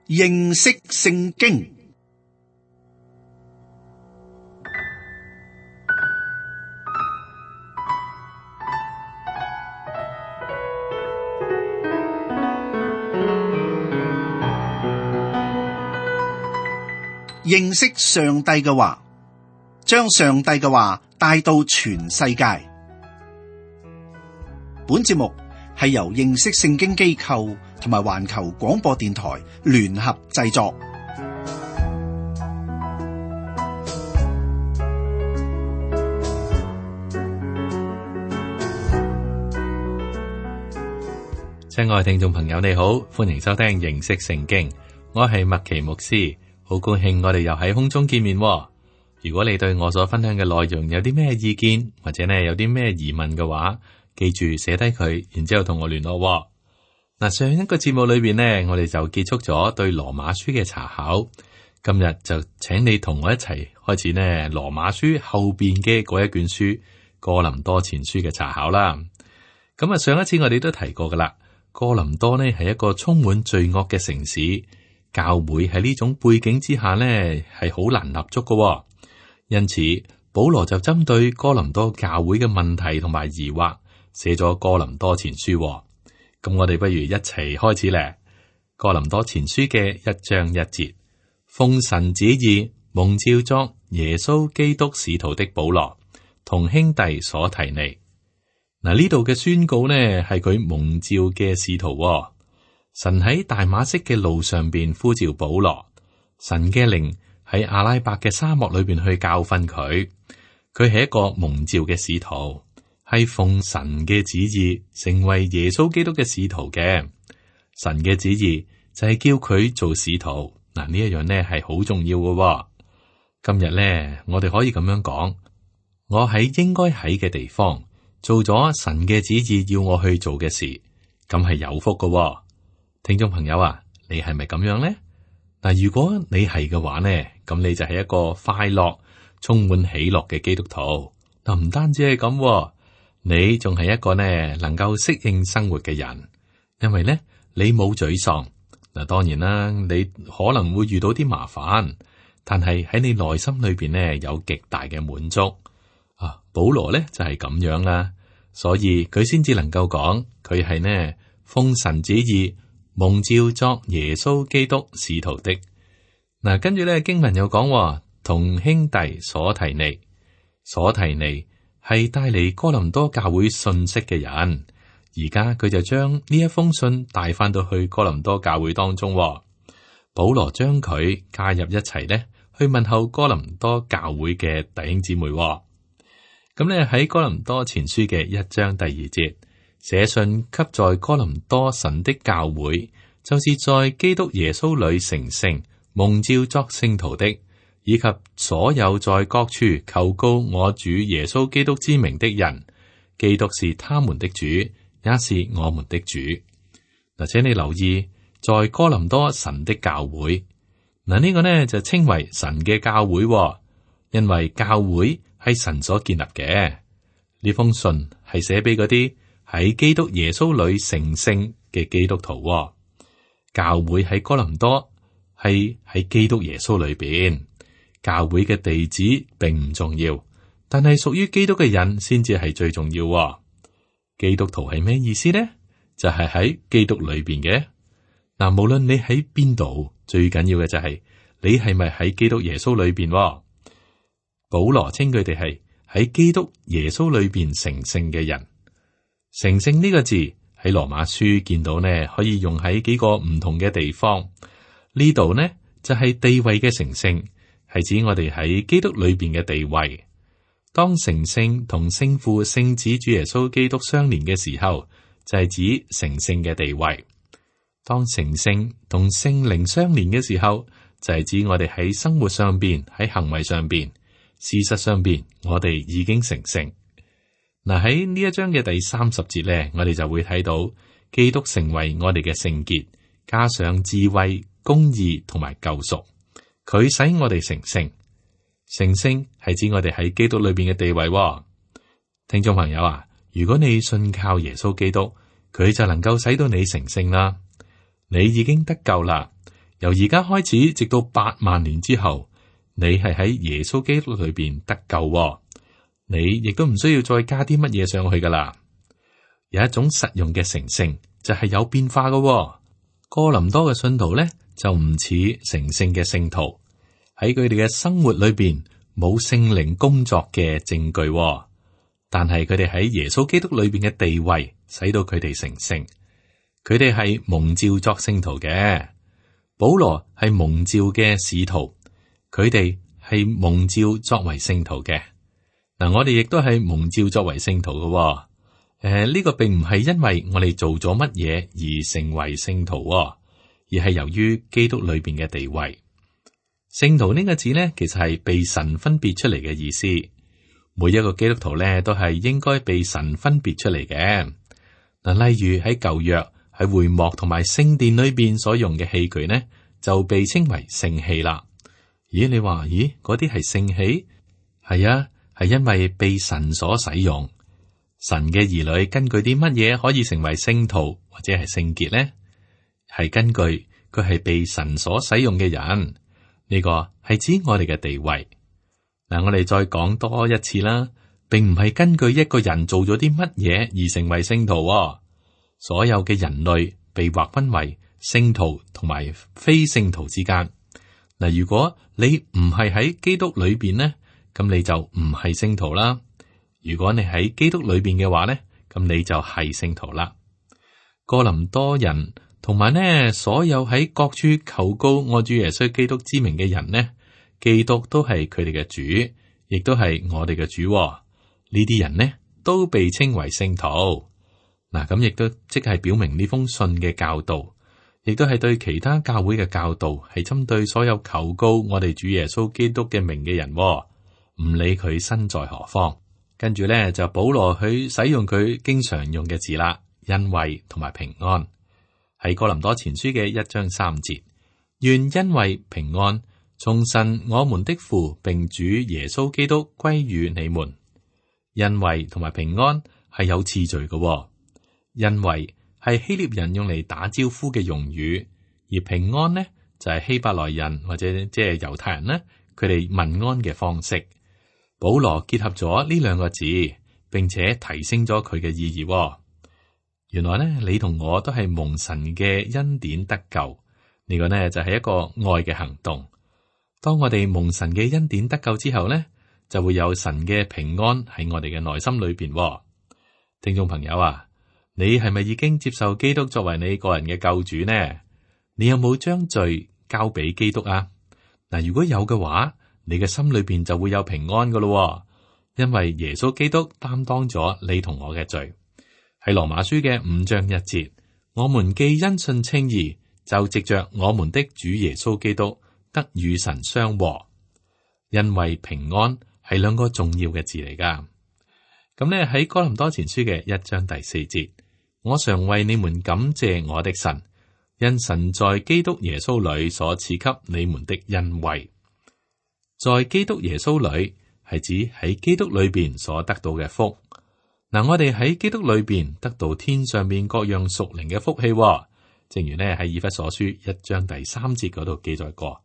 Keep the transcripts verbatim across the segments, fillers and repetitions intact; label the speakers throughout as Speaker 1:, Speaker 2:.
Speaker 1: 認識聖經。認識上帝嘅話，將上帝嘅話帶到全世界。本節目係由認識聖經機構同埋環球廣播電台聯合製作。
Speaker 2: 親愛聽眾朋友，你好，歡迎收聽認識聖經，我係麥奇牧師，好高興我哋又喺空中見面。如果你對我所分享嘅內容有啲咩意見，或者呢有啲咩疑問嘅話，記住寫低佢，然之後同我聯絡。嗱，上一個節目裏邊呢，我哋就結束咗對羅馬書嘅查考，今日就請你同我一齊開始呢羅馬書後邊嘅嗰一卷書哥林多前書嘅查考啦。咁啊，上一次我哋都提過噶啦，哥林多呢係一個充滿罪惡嘅城市，教會喺呢種背景之下呢係好難立足噶，因此保羅就針對哥林多教會嘅問題同埋疑惑，寫咗哥林多前書。咁我哋不如一齊開始咧。哥林多前書嘅一章一節，奉神旨意蒙召作耶穌基督使徒的保羅，同兄弟所提尼。嗱，呢度嘅宣告呢係佢蒙召嘅使徒。神喺大馬色嘅路上邊呼召保羅，神嘅靈喺阿拉伯嘅沙漠裏邊去教訓佢。佢係一個蒙召嘅使徒，係奉神嘅旨意成為耶穌基督嘅使徒嘅。神嘅旨意就係叫佢做使徒。嗱，呢一樣呢係好重要嘅。今日呢，我哋可以咁樣講，我喺應該喺嘅地方做咗神嘅旨意要我去做嘅事，咁係有福嘅。聽眾朋友啊，你係咪咁樣呢？嗱，如果你係嘅話呢，咁你就係一個快樂、充滿喜樂嘅基督徒。嗱，唔單止係咁，你仲係一個呢能夠適應生活嘅人，因為呢你冇沮喪。嗱，當然啦，你可能會遇到啲麻煩，但係喺你內心裏邊呢有極大嘅滿足。啊，保羅呢就係咁樣啦，所以佢先至能夠講佢係呢奉神旨意蒙召作耶穌基督使徒的。嗱，跟住咧經文又講同兄弟所提尼，所提尼係帶嚟哥林多教會信息嘅人，而家佢就將呢一封信帶翻到去哥林多教會當中。保羅將佢加入一齊咧，去問候哥林多教會嘅弟兄姊妹。咁咧喺哥林多前書嘅一章第二節，寫信給在哥林多神的教會，就是在基督耶穌裏成聖蒙召作聖徒的，以及所有在各處求告我主耶穌基督之名的人。基督是他們的主，也是我們的主。嗱，請你留意，在哥林多神的教會，嗱、這、呢個呢就稱為神嘅教會，因為教會係神所建立嘅。呢封信係寫俾嗰啲喺基督耶穌裏成聖嘅基督徒。教會喺哥林多係喺基督耶穌裏邊。教會嘅地址並唔重要，但係屬於基督嘅人先至係最重要。基督徒係咩意思呢？就係喺基督裏邊嘅。嗱，無論你喺邊度，最緊要嘅就係你係咪喺基督耶穌裏邊。保羅稱佢哋係喺基督耶穌裏邊成聖嘅人。成聖呢個字喺羅馬書見到呢，可以用喺幾個唔同嘅地方。呢度呢就係地位嘅成聖，係指我哋喺基督裏邊嘅地位。當成聖同聖父、聖子、主耶穌基督相連嘅時候，就係指成聖嘅地位。當成聖同聖靈相連嘅時候，就係指我哋喺生活上邊、喺行為上邊、事實上邊，我哋已經成聖。嗱，喺呢一章嘅第三十節咧，我哋就會睇到基督成為我哋嘅聖潔，加上智慧、公義同埋救贖，佢使我哋成聖。成聖係指我哋喺基督裏邊嘅地位。聽眾朋友啊，如果你信靠耶穌基督，佢就能夠使到你成聖啦。你已經得救啦，由而家開始，直到八萬年之後，你係喺耶穌基督裏邊得救喎，你亦都唔需要再加啲乜嘢上去噶啦。有一種實用嘅成聖就係有變化噶喎。哥林多嘅信徒咧就唔似成聖嘅聖徒，喺佢哋嘅生活裏邊冇聖靈工作嘅證據喎，但係佢哋喺耶穌基督裏邊嘅地位，使到佢哋成聖。佢哋係蒙召作聖徒嘅，保羅係蒙召嘅使徒，佢哋係蒙召作為聖徒嘅。嗱，我哋亦都係蒙召作為聖徒嘅喎。誒、呃，呢、這個並唔係因為我哋做咗乜嘢而成為聖徒喎，而係由於基督裏邊嘅地位。聖徒呢個字呢，其實係被神分別出嚟嘅意思。每一個基督徒呢，都係應該被神分別出嚟嘅。嗱，例如喺舊約喺會幕同埋聖殿裏邊所用嘅器具呢，就被稱為聖器啦。咦，你話咦，嗰啲係聖器？係啊，係因為被神所使用。神嘅兒女根據啲乜嘢可以成為聖徒或者係聖潔呢？係根據佢係被神所使用嘅人，呢個係指我哋嘅地位。嗱，我哋再講多一次啦，並唔係根據一個人做咗啲乜嘢而成為聖徒喎。所有嘅人類被劃分為聖徒同埋非聖徒之間。嗱，如果你唔係喺基督裏邊呢，咁你就唔係聖徒啦。如果你喺基督裏邊嘅話呢，咁你就係聖徒啦。哥林多人同埋呢所有喺各處求告我主耶穌基督之名嘅人呢，基督都係佢哋嘅主，亦都係我哋嘅主喎。呢啲人呢都被稱為聖徒。嗱，咁亦都即係表明呢封信嘅教導，亦都係對其他教會嘅教導，係針對所有求告我哋主耶穌基督嘅名嘅人喎，唔理佢身在何方。跟住咧就保羅去使用佢經常用嘅字啦，恩惠同埋平安，喺哥林多前書嘅一章三節，願恩惠平安從神我們的父並主耶穌基督歸於你們。恩惠同埋平安係有次序嘅喎，恩惠係希臘人用嚟打招呼嘅用語，而平安呢就係希伯來人或者即係猶太人呢，佢哋問安嘅方式。保羅結合咗呢兩個字，並且提升咗佢嘅意義喎。原來呢，你同我都係蒙神嘅恩典得救，呢個呢就係一個愛嘅行動。當我哋蒙神嘅恩典得救之後呢，就會有神嘅平安喺我哋嘅內心裏邊喎。聽眾朋友啊，你係咪已經接受基督作為你個人嘅救主呢？你有冇將罪交俾基督啊？嗱，如果有嘅話，你嘅心裏邊就會有平安噶咯，因為耶穌基督擔當咗你同我嘅罪。喺羅馬書嘅五章一節，我們既因信稱義，就藉着我們的主耶穌基督得與神相和。因為平安係兩個重要嘅字嚟噶。咁呢，喺哥林多前書嘅一章第四節，我常為你們感謝我的神，因神在基督耶穌裏所賜給你們的恩惠。在基督耶穌裏係指喺基督裏邊所得到嘅福。嗱，我哋喺基督裏邊得到天上面各樣屬靈嘅福氣，正如呢喺以弗所書一章第三節嗰度記載過，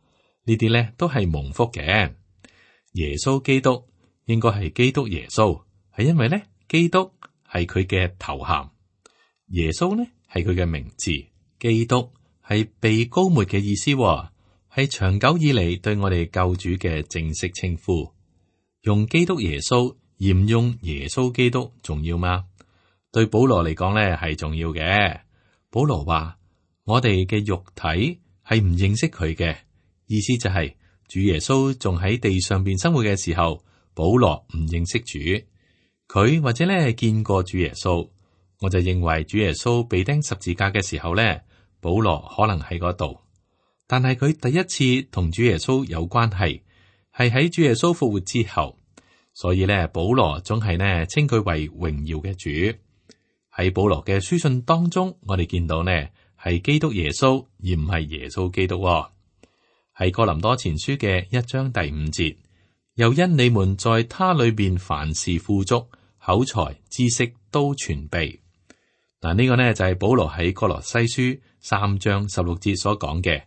Speaker 2: 呢啲呢都係蒙福嘅。耶穌基督應該係基督耶穌，係因為呢基督係佢嘅頭銜，耶穌呢係佢嘅名字，基督係被膏抹嘅意思。係長久以嚟對我哋救主嘅正式稱呼。用基督耶穌而唔用耶穌基督重要嗎？對保羅嚟講咧係重要嘅。保羅話我哋嘅肉體係唔認識佢嘅，意思就係、是、主耶穌仲喺地上邊生活嘅時候，保羅唔認識主。佢或者咧見過主耶穌，我就認為主耶穌被釘十字架嘅時候咧，保羅可能喺嗰度。但係佢第一次同主耶穌有關係，係喺主耶穌復活之後，所以咧保羅總係呢稱佢為榮耀嘅主。喺保羅嘅書信當中，我哋見到呢係基督耶穌而唔係耶穌基督喎。喺哥林多前書嘅一章第五節，又因你們在他裏邊凡事富足，口才知識都全備。嗱，呢個呢就係保羅喺哥羅西書三章十六節所講嘅。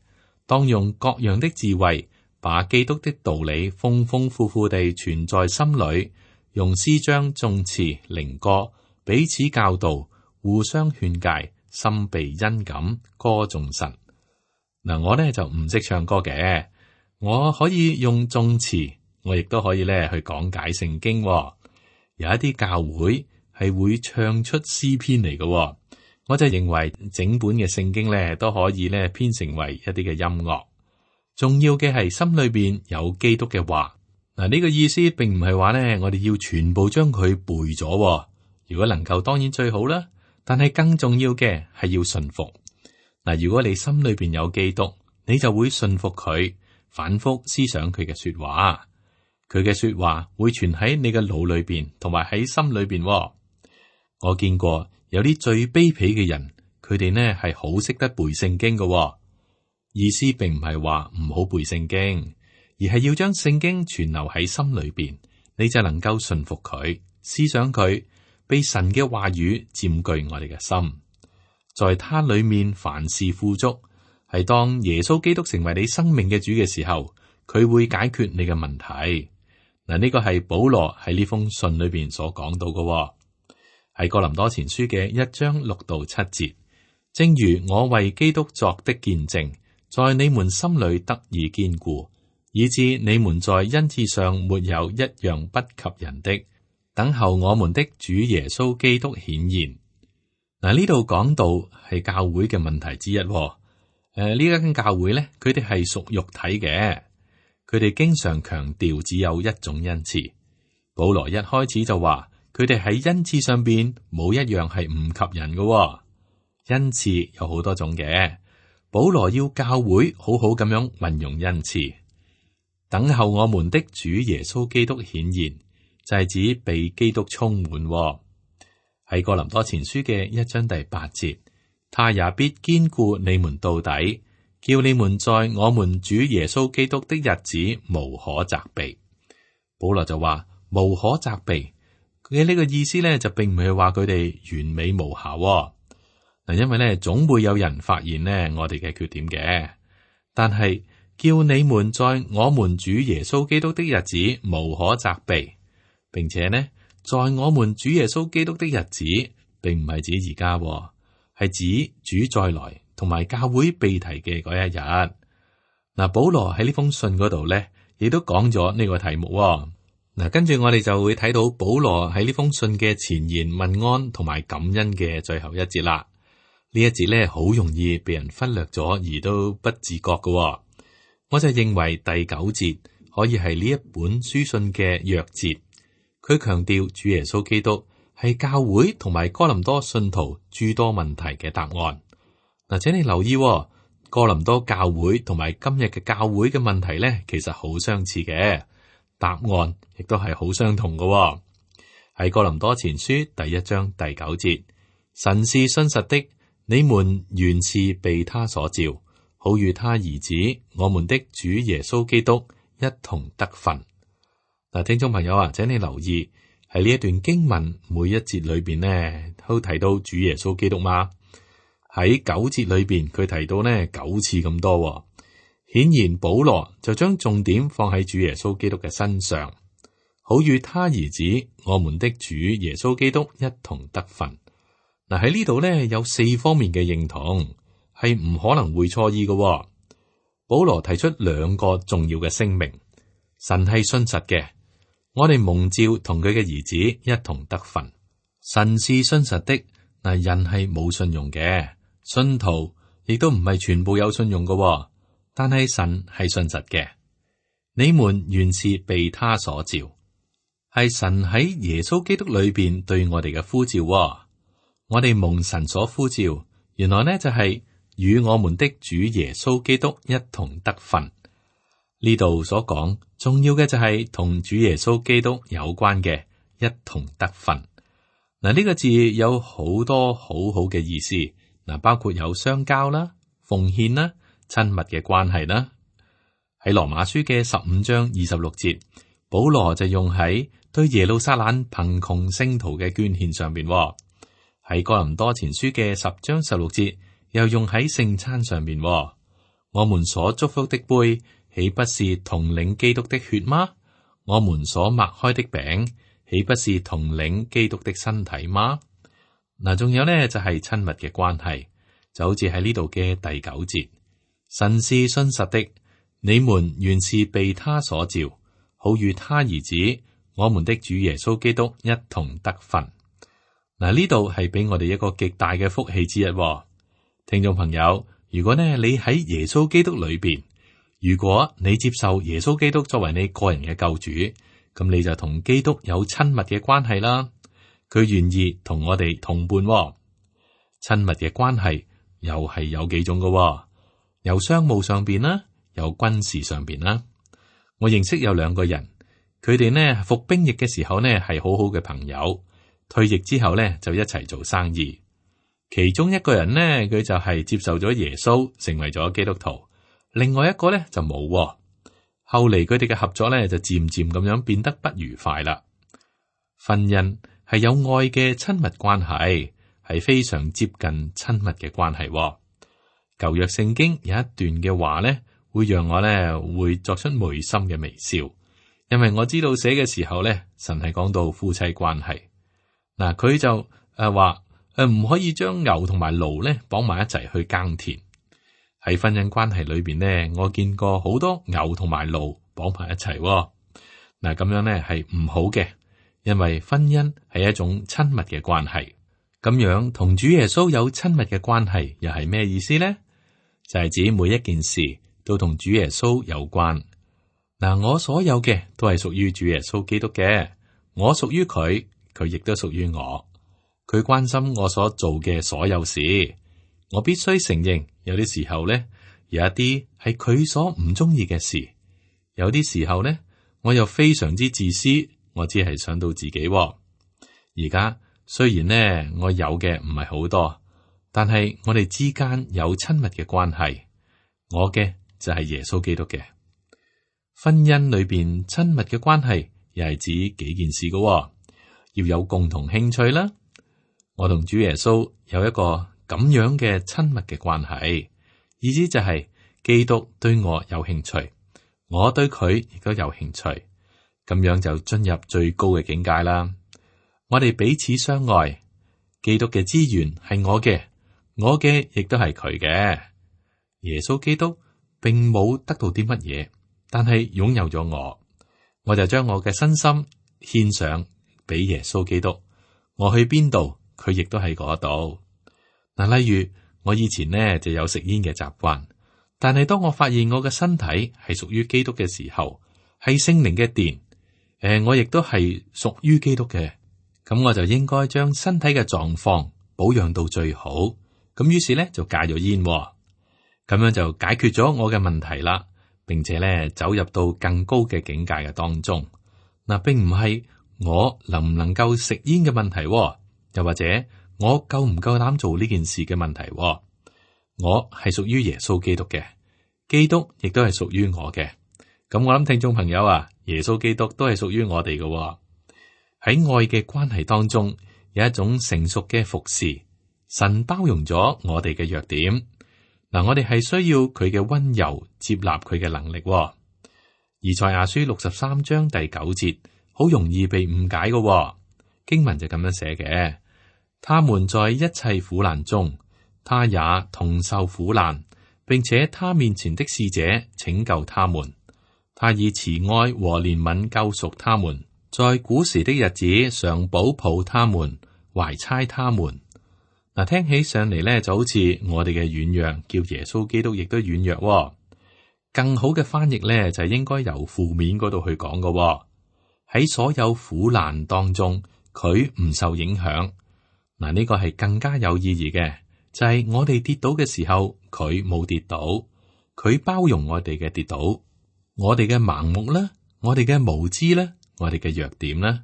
Speaker 2: 當用各樣的智慧，把基督的道理豐豐富富地存在心裏，用詩章、頌詞、靈歌彼此教導，互相勸誡，心被恩感，歌頌神。嗱，我咧就唔識唱歌嘅，我可以用頌詞，我亦都可以咧去講解聖經。有一啲教會係會唱出詩篇嚟嘅，我就認為整本嘅聖經咧都可以咧編成為一啲嘅音樂。重要嘅係心裏邊有基督嘅話。嗱，呢個意思並唔係話咧我哋要全部將佢背咗，如果能夠當然最好啦。但係更重要嘅係要順服。嗱，如果你心裏邊有基督，你就會順服佢，反覆思想佢嘅說話。佢嘅說話會存喺你嘅腦裏邊，同埋喺心裏邊。我見過有啲最卑鄙嘅人，佢哋呢係好識得背聖經嘅。意思並唔係話唔好背聖經，而係要將聖經存留喺心裏邊，你就能夠順服佢，思想佢，被神嘅話語佔據我哋嘅心。在他裏面凡事富足，係當耶穌基督成為你生命嘅主嘅時候，佢會解決你嘅問題。嗱，呢個係保羅喺呢封信裏邊所講到嘅，係哥林多前書嘅一章六到七節。正如我為基督作的見證，在你們心裏得以堅固，以致你們在恩賜上沒有一樣不及人的，等候我們的主耶穌基督顯現。嗱，呢度講到係教會嘅問題之一。誒、呃，呢間教會咧，佢哋係屬肉體嘅。佢哋經常強調只有一種恩賜。保羅一開始就話，佢哋喺恩賜上邊冇一樣係唔及人嘅。恩賜有好多種嘅，保羅要教會好好咁樣運用恩賜，等候我們的主耶穌基督顯現，就係指被基督充滿。喺哥林多前書嘅一章第八節，他也必堅固你們到底，叫你們在我們主耶穌基督的日子無可責備。保羅就話無可責備，佢嘅呢個意思咧就並唔係話佢哋完美無瑕嗱，因為咧總會有人發現呢我哋嘅缺點嘅，但係叫你們在我們主耶穌基督的日子無可責備，並且呢在我們主耶穌基督的日子，並唔係指而家，係指主再來。同埋教會被提嘅嗰一日，嗱，保羅喺呢封信嗰度咧，亦都講咗呢個題目。嗱，跟住我哋就會睇到保羅喺呢封信嘅前言問安同埋感恩嘅最後一節啦。呢一節咧好容易被人忽略咗，而都不自覺嘅。我就認為第九節可以係呢一本書信嘅鑰節，佢強調主耶穌基督係教會同埋哥林多信徒諸多問題嘅答案。嗱，請你留意，哥林多教會同埋今日嘅教會嘅問題咧，其實好相似嘅，答案亦都係好相同嘅。喺哥林多前書第一章第九節，神是信實的，你們原是被他所召，好與他兒子我們的主耶穌基督一同得分。嗱，聽眾朋友啊，請你留意喺呢一段經文每一節裏邊呢，都提到主耶穌基督嗎？喺九節裏邊，佢提到呢九次咁多，顯然保羅就將重點放喺主耶穌基督嘅身上，好與他兒子我們的主耶穌基督一同得分。嗱，喺呢度呢有四方面嘅認同，係唔可能會錯意嘅。保羅提出兩個重要嘅聲明：神係信實嘅，我哋蒙召同佢嘅兒子一同得分。神是信實的，嗱，人係冇信用嘅。信徒亦都唔係全部有信用嘅，但係神係信實嘅。你們原是被他所召，係神喺耶穌基督裏邊對我哋嘅呼召。我哋蒙神所呼召，原來呢就係與我們的主耶穌基督一同得分。呢度所講重要嘅就係同主耶穌基督有關嘅一同得分。嗱，呢個字有好多好好嘅意思。嗱，包括有相交啦、奉獻啦、親密嘅關係啦。喺羅馬書嘅十五章二十六節，保羅就用喺對耶路撒冷貧窮聖徒嘅捐獻上邊。喺哥林多前書嘅十章十六節，又用喺聖餐上邊。我們所祝福的杯，豈不是同領基督的血嗎？我們所擘開的餅，豈不是同領基督的身體嗎？嗱，仲有呢，就係親密嘅關係，就好似喺呢度嘅第九節，神是信實的，你們原是被他所召，好與他兒子我們的主耶穌基督一同得分。嗱，呢度係俾我哋一個極大嘅福氣之一。聽眾朋友，如果呢你喺耶穌基督裏邊，如果你接受耶穌基督作為你個人嘅救主，咁你就同基督有親密嘅關係啦。佢願意同我哋同伴。親密嘅關係又係有幾種嘅，有商務上邊啦，有軍事上邊啦。我認識有兩個人，佢哋呢服兵役嘅時候呢係好好嘅朋友，退役之後呢就一齊做生意。其中一個人呢，佢就係接受咗耶穌，成為咗基督徒。另外一個呢就冇。後嚟佢哋嘅合作呢就漸漸咁樣變得不愉快啦。婚姻係有愛嘅親密關係，係非常接近親密嘅關係。舊約聖經有一段嘅話呢，會讓我呢會作出眉心嘅微笑，因為我知道寫嘅時候呢，神係講到夫妻關係。嗱，佢就誒話誒唔可以將牛同埋驢呢綁埋一齊去耕田。喺婚姻關係裏邊呢，我見過好多牛同埋驢綁埋一齊。嗱，咁樣呢係唔好嘅。因為婚姻係一種親密嘅關係，咁樣同主耶穌有親密嘅關係，又係咩意思呢？就係指每一件事都同主耶穌有關。嗱，我所有嘅都係屬於主耶穌基督嘅，我屬於佢，佢亦都屬於我。佢關心我所做嘅所有事，我必須承認，有啲時候呢，有一啲係佢所唔中意嘅事，有啲時候呢，我又非常之自私。我只係想到自己。而家雖然呢，我有嘅唔係好多，但係我哋之間有親密嘅關係。我嘅就係耶穌基督嘅。婚姻裏邊親密嘅關係，又係指幾件事嘅。要有共同興趣啦。我同主耶穌有一個咁樣嘅親密嘅關係，意思就係基督對我有興趣，我對佢亦都有興趣。咁樣就進入最高嘅境界啦。我哋彼此相愛，基督嘅資源係我嘅，我嘅亦都係佢嘅。耶穌基督並冇得到啲乜嘢，但係擁有咗我，我就將我嘅身心獻上俾耶穌基督。我去邊度，佢亦都喺嗰度。嗱，例如我以前呢就有食煙嘅習慣，但係當我發現我嘅身體係屬於基督嘅時候，係聖靈嘅殿。誒、呃，我亦都係屬於基督嘅，咁我就應該將身體嘅狀況保養到最好。咁於是咧就戒咗煙，咁樣就解決咗我嘅問題啦，並且咧走入到更高嘅境界嘅當中。嗱，並唔係我能唔能夠食煙嘅問題，又或者我夠唔夠膽做呢件事嘅問題。我係屬於耶穌基督嘅，基督亦都係屬於我嘅。咁我諗聽眾朋友啊，耶穌基督都係屬於我哋嘅。喺愛嘅關係當中，有一種成熟嘅服侍，神包容咗我哋嘅弱點。嗱，我哋係需要佢嘅溫柔接納佢嘅能力。以賽亞書六十三章第九節，好容易被誤解嘅經文就咁樣寫嘅：他們在一切苦難中，他也同受苦難，並且他面前的使者拯救他們。他以慈愛和憐憫救贖他們，在古時的日子常保抱他們，懷搋他們。嗱，聽起上嚟咧，就好似我哋嘅軟弱，叫耶穌基督亦都軟弱。更好嘅翻譯咧，就係應該由負面嗰度去講嘅。喺所有苦難當中，佢唔受影響。嗱，呢個係更加有意義嘅，就係我哋跌倒嘅時候，佢冇跌倒，佢包容我哋嘅跌倒。我哋嘅盲目啦，我哋嘅無知啦，我哋嘅弱點啦。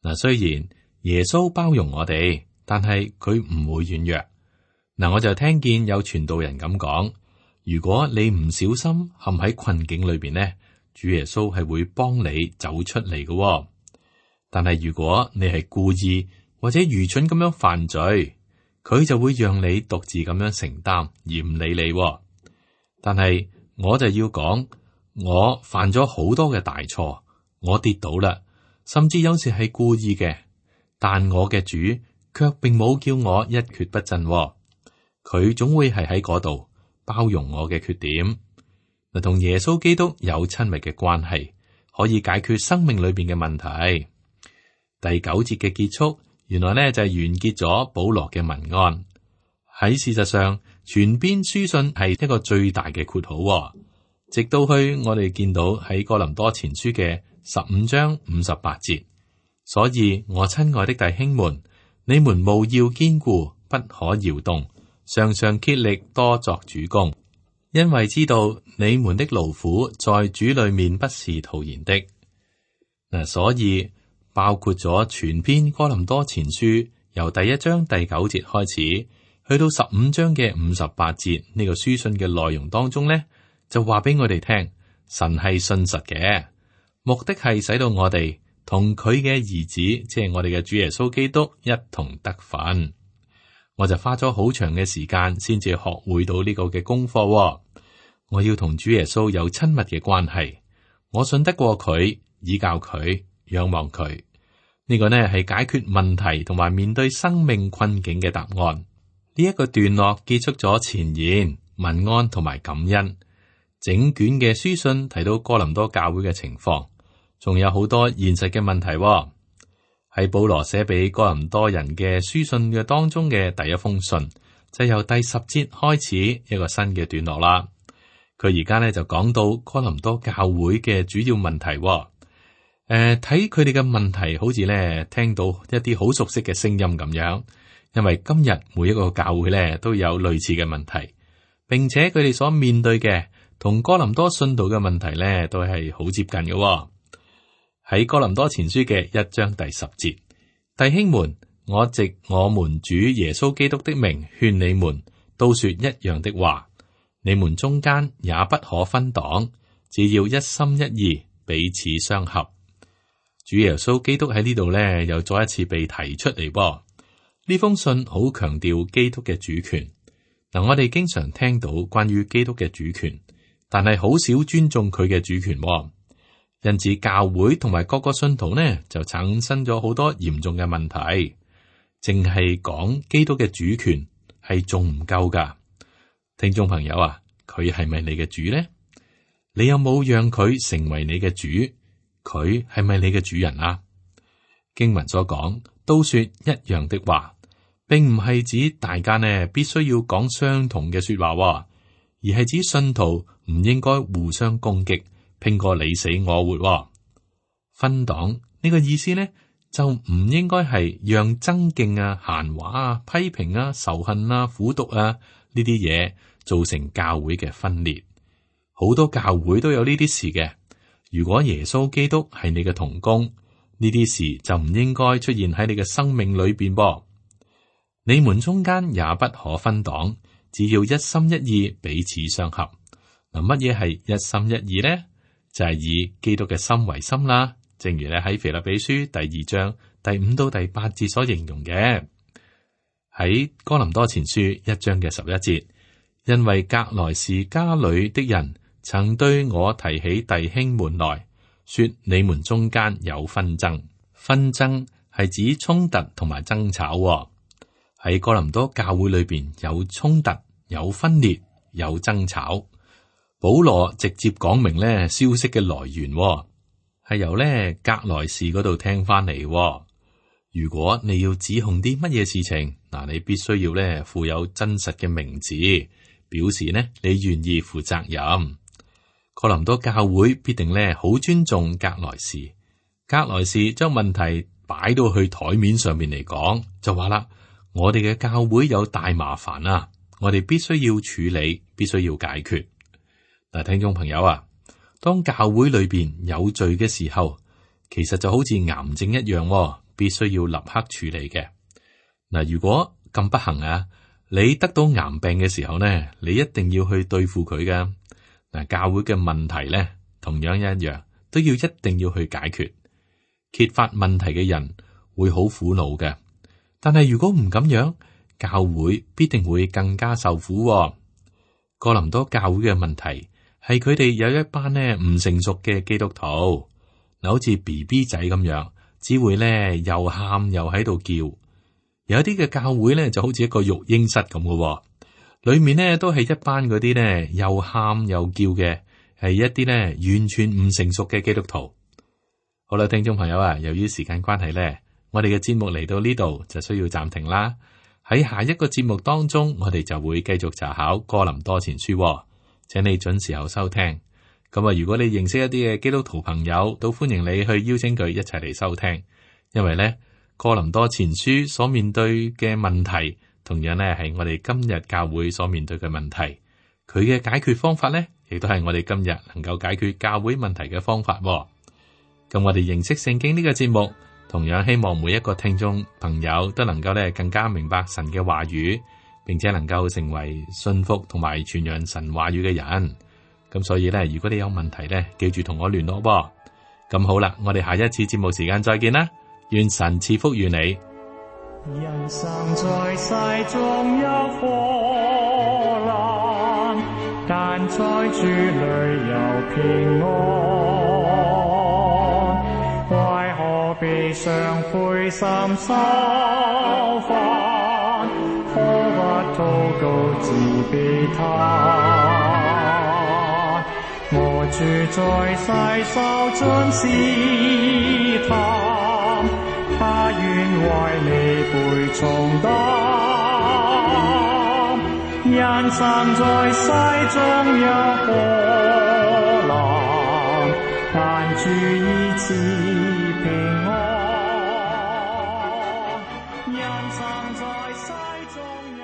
Speaker 2: 嗱，雖然耶穌包容我哋，但係佢唔會軟弱。嗱，我就聽見有傳道人咁講：如果你唔小心陷喺困境裏邊呢，主耶穌係會幫你走出嚟嘅。但係如果你係故意或者愚蠢咁樣犯罪，佢就會讓你獨自咁樣承擔，而唔理你。但係我就要講，我犯咗好多嘅大錯，我跌倒啦，甚至有時係故意嘅。但我嘅主卻並冇叫我一蹶不振，佢總會係喺嗰度包容我嘅缺點。嗱，同耶穌基督有親密嘅關係，可以解決生命裏邊嘅問題。第九節嘅結束，原來呢就係完結咗保羅嘅文案。喺事實上，全篇書信係一個最大嘅括號，直到去我哋見到喺哥林多前書嘅十五章五十八節。所以我親愛的弟兄們，你們務要堅固，不可搖動，常常竭力多作主工，因為知道你們的勞苦在主裏面不是徒然的。嗱，所以包括咗全篇哥林多前書，由第一章第九節開始，去到十五章嘅五十八節呢個書信嘅內容當中呢，就話俾我哋聽，神係信實嘅，目的係使到我哋同佢嘅兒子，即係我哋嘅主耶穌基督一同得份。我就花咗好長嘅時間先至學會到呢個嘅功課，哦。我要同主耶穌有親密嘅關係，我信得過佢，依靠佢，仰望佢。呢個呢係解決問題同埋面對生命困境嘅答案。呢一個段落結束咗前言、問安同埋感恩。整卷嘅書信提到哥林多教會嘅情況。仲有好多現實嘅問題喎，哦，喺保羅寫俾哥林多人嘅書信嘅當中嘅第一封信，就由第十節開始一個新嘅段落啦。佢而家咧就講到哥林多教會嘅主要問題，哦。誒、呃，睇佢哋嘅問題，好似咧聽到一啲好熟悉嘅聲音咁樣，因為今日每一個教會咧都有類似嘅問題，並且佢哋所面對嘅同哥林多信徒嘅問題咧都係好接近嘅，哦。喺哥林多前書嘅一章第十節，弟兄們，我藉我們主耶穌基督的名勸你們，都說一樣的話。你們中間也不可分黨，只要一心一意，彼此相合。主耶穌基督喺呢度呢，又再一次被提出嚟噃。呢封信好強調基督嘅主權。嗱，我哋經常聽到關於基督嘅主權，但係好少尊重佢嘅主權。因此，教會同埋各個信徒呢，就產生咗好多嚴重嘅問題。淨係講基督嘅主權係仲唔夠噶？聽眾朋友啊，佢係咪你嘅主呢？你有冇讓佢成為你嘅主？佢係咪你嘅主人啊？經文所講，都說一樣的話，並唔係指大家呢必須要講相同嘅說話，而係指信徒唔應該互相攻擊。拼過你死我活，哦，分黨呢個意思呢，就唔應該係讓爭競啊、閒話啊、批評啊、仇恨啊、苦毒啊呢啲嘢造成教會嘅分裂。好多教會都有呢啲事嘅。如果耶穌基督係你嘅同工，呢啲事就唔應該出現喺你嘅生命裏邊噃。你們中間也不可分黨，只要一心一意，彼此相合。嗱，乜嘢係一心一意呢？就係以基督嘅心為心啦，正如咧喺腓立比書第二章第五到第八節所形容嘅。喺哥林多前書一章嘅十一節，因為革來氏家裏的人曾對我提起弟兄們來說，你們中間有紛爭。紛爭係指衝突同埋爭吵，哦。喺哥林多教會裏邊有衝突、有分裂、有爭吵。保羅直接講明咧消息嘅來源，哦，係由咧革來氏嗰度聽翻嚟。如果你要指控啲乜嘢事情，嗱，你必須要咧附有真實嘅名字，表示呢你願意負責任。哥林多教會必定咧好尊重革來氏。革來氏將問題擺到去台面上面嚟講，就話啦：我哋嘅教會有大麻煩啊，我哋必須要處理，必須要解決。嗱，聽眾朋友啊，當教會裏邊有罪嘅時候，其實就好似癌症一樣，必須要立刻處理嘅。嗱，如果咁不幸啊，你得到癌病嘅時候呢，你一定要去對付佢噶。嗱，教會嘅問題呢，同樣一樣，都要一定要去解決。揭發問題嘅人會好苦惱嘅，但係如果唔咁樣，教會必定會更加受苦。哥林多教會嘅問題係佢哋有一班呢唔成熟嘅基督徒，嗱，好似 B B 仔咁樣，只會呢又喊又喺度叫。有一啲嘅教會呢就好似一個育嬰室咁嘅，裏面呢都係一班嗰啲呢又喊又叫嘅，係一啲呢完全唔成熟嘅基督徒。好啦，聽眾朋友啊，由於時間關係呢，我哋嘅節目嚟到呢度就需要暫停啦。喺下一個節目當中，我哋就會繼續查考哥林多前書，請你準時候收聽。咁啊，如果你認識一啲嘅基督徒朋友，都歡迎你去邀請佢一齊嚟收聽。因為呢，哥林多前書所面對嘅問題，同樣呢係我哋今日教會所面對嘅問題。佢嘅解決方法呢，亦都係我哋今日能夠解決教會問題嘅方法。咁我哋認識聖經呢個節目，同樣希望每一個聽眾朋友都能夠咧更加明白神嘅話語，並且能夠成為信服同埋傳揚神話語嘅人。咁所以咧，如果你有問題咧，記住同我聯絡喎。咁好啦，我哋下一次節目時間再見啦，願神賜福於你。
Speaker 3: 人生在世中有苦難，但在主裏有平安。為何悲傷灰心愁煩？可不禱告自悲嘆。我主在世受盡試探，他願為你背重擔。人生在世中有波瀾，但主已賜平安。人生在世中有